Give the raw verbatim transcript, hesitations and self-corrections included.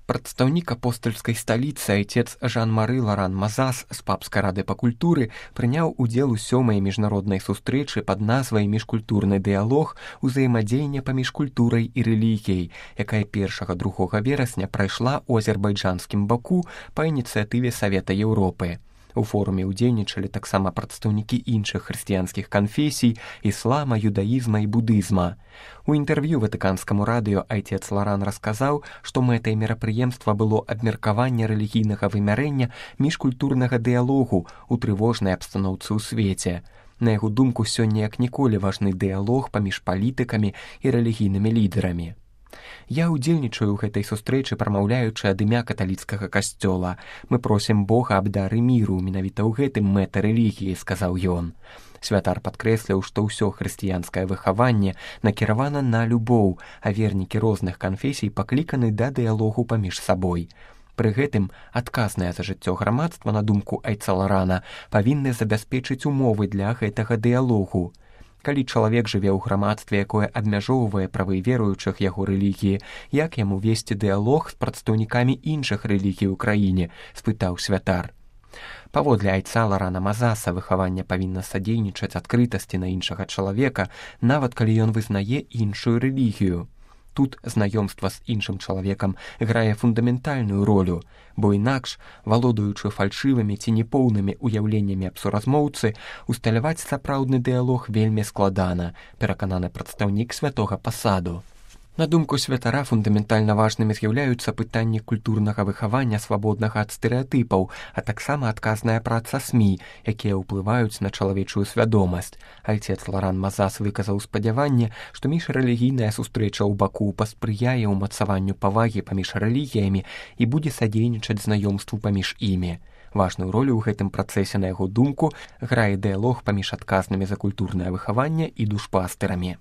Прадстаўнік апостальскай сталіцы айцец Жан-Мары Ларан Мазас з папскай рады па культуры прыняў удзел у сёмай міжнароднай сустрэчы пад назвай «Міжкультурны дыялог. Узаемадзеянне паміж культурай і рэлігіяй», якая першага-другога верасня прайшла ў азербайджанскім Баку па ініцыятыве Савета Еўропы. У форуме ўдзельнічалі таксама прадстаўнікі іншых хрысціянскіх канфесій, іслама, юдаізма і будызма. У інтэрв'ю ватыканскаму радыё айцец Ларан расказаў, што мэтай мерапрыемства было абмеркаванне рэлігійнага вымярэння міжкультурнага дыялогу ў трывожнай абстаноўцы ў свеце. На яго думку, сёння як ніколі важны дыялог паміж палітыкамі і рэлігійнымі лідарамі. «Я ўдзельнічаю ў гэтай сустрэчы, прамаўляючы ад імя каталіцкага касцёла. Мы просім Бога аб дары міру, менавіта ў гэтым мэта рэлігіі», — сказаў ён. Святар падкрэсліў, што ўсё хрысціянскае выхаванне накіравана на любоў, а вернікі розных канфесій пакліканы да дыялогу паміж сабой. Пры гэтым адказнае за жыццё грамадства, на думку айца Ларана, павінны забяспечыць умовы для гэтага дыялогу. Калі чалавек жыве ў грамадстве, якое абмяжоўвае правы веруючых яго рэлігіі, як яму весці дыялог з прадстаўнікамі іншых рэлігій у краіне, спытаў святар. Паводле айца Ларана Мазаса, выхаванне павінна садзейнічаць адкрытасці на іншага чалавека, нават калі ён вызнае іншую рэлігію. Тут знаёмства з іншым чалавекам грае фундаментальную ролю, бо інакш, валодаючы фальшывымі ці непоўнымі уяўленнямі аб суразмоўцы, усталяваць сапраўдны дыялог вельмі складана, перакананы прадстаўнік святога пасаду. На думку святара, фундаментальна важнымі з'яўляюцца пытанні культурнага выхавання, свабоднага ад стэрэатыпаў, а таксама адказная праца СМІ, якія ўплываюць на чалавечую свядомасць. Айцец Ларан Мазас выказаў спадзяванне, што міжрэлігійная сустрэча ў Баку паспрыяе ўмацаванню павагі паміж рэлігіямі і будзе садзейнічаць знаёмству паміж імі. Важную ролю ў гэтым працэсе, на яго думку, грае дыялог паміж адказнымі за культурнае выхаванне і душпастырамі.